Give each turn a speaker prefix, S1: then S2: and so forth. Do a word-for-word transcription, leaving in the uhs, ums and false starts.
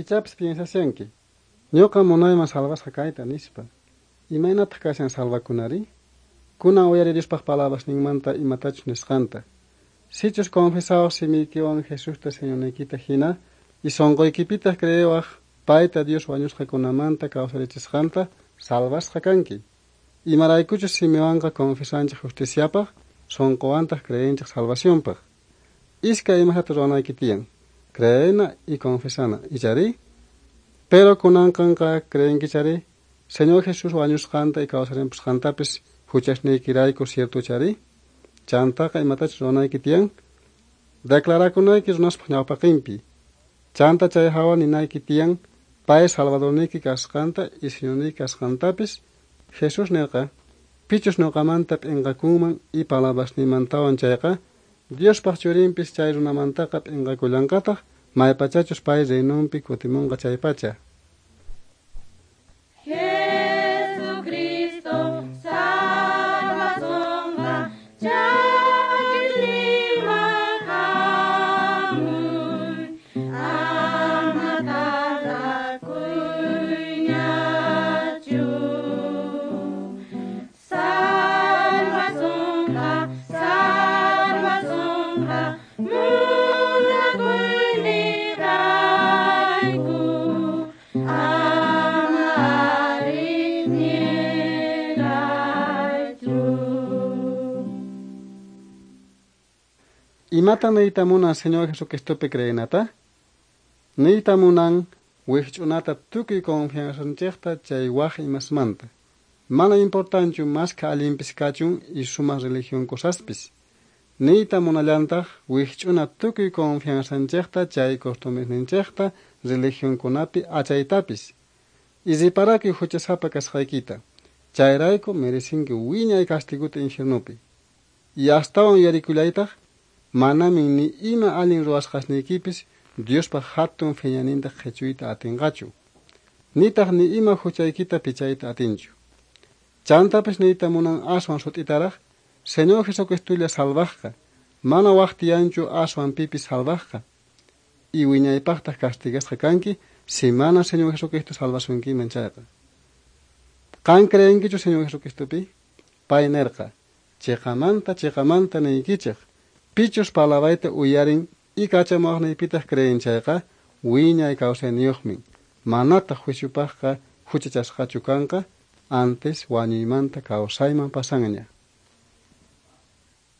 S1: Ichapis piensashanki, ñuqa munayman salvasqa kayta nispa. Imaynataq kashan salvakunari? Kunan uyari Diospaq palabrasninmanta imatachus nisqanta. Sichus confesawaq simiykiwan Jesusta Señorniykita hina y sunquykipitaq creewaq payta Dios wañusqakunamanta kawsarichisqanta, salvasqa kanki. Imaraykuchus simiwanqa confesanchik justiciapaq, sunquwantaq creenchik salvacionpaq. Iskay imasta ruwanayki tiyan: creena y confesana. Ichari? Pero kunanqanqa creenkichari Señor Jesús wañusqanta y kawsarimpusqantapis huchasniykirayku, cierto chari? Chantaqa imatachus ruwanayki tiyan: declarakunayki runaspaq ñawpaqinpi. Chanta chay hawa ninayki tiyan pay salvadorniyki kasqanta y Señorniyki kasqantapis. Jesús nirqa: pichus ñuqamanta p'inqakunman y palabrasniymantawan chayqa, Diospaq churinpis chay runamantaqa p'inqakullanqataq maypachachus pay reinonpi kutimunqa chaypacha.
S2: Jesucristo salvasonqa chakisninman hamuy, ama tardakuyñachu. Salvasonqa, salvasonqa munakuynirayku, ama ari ñiraychu.
S1: Imata niyta munan Señor Jesucristopi creenata? Niyta munan wikch'unata tukuy confianzanchikta chay waj imasmanta. Mana importanchu mashkha allinpis kachun y sumaq religión cosaspis. Niyta munallantaq wikch'una tukuy confianzanchikta chay costumbresninchikta religionkunapi achaytapis. Y reparakuy huchasapa kasqaykita. Chayrayku merecinki wiñay castiguta infiernupi. Y astawan yuyarikullaytaq manamin ni ima allin ruwasqasniykipis Diospaq hatun phiñaninta qhichuyta atinqachu. Nitaq ni ima huchaykita pichayta atinchu. Chantapis niyta munan aswan sut'itaraq Señor Jesucristolla salvaqqa, mana waq tiyanchu aswan pipis salvaqqa. Y wiñaypaqtaq castigasqa kanki si mana Señor Jesucristo salvasunkiman chayqa. Qan creenkichu Señor Jesucristopi? Pay nirqa: chiqamanta chiqamanta niykichik, pichus palabrayta uyarin y kachamuwaqniypitaq creen chayqa, wiñay kawsayniyuqmin. Manataq juiciopaqqa huchachasqachu kanqa, antes wañuymanta kawsayman pasanña.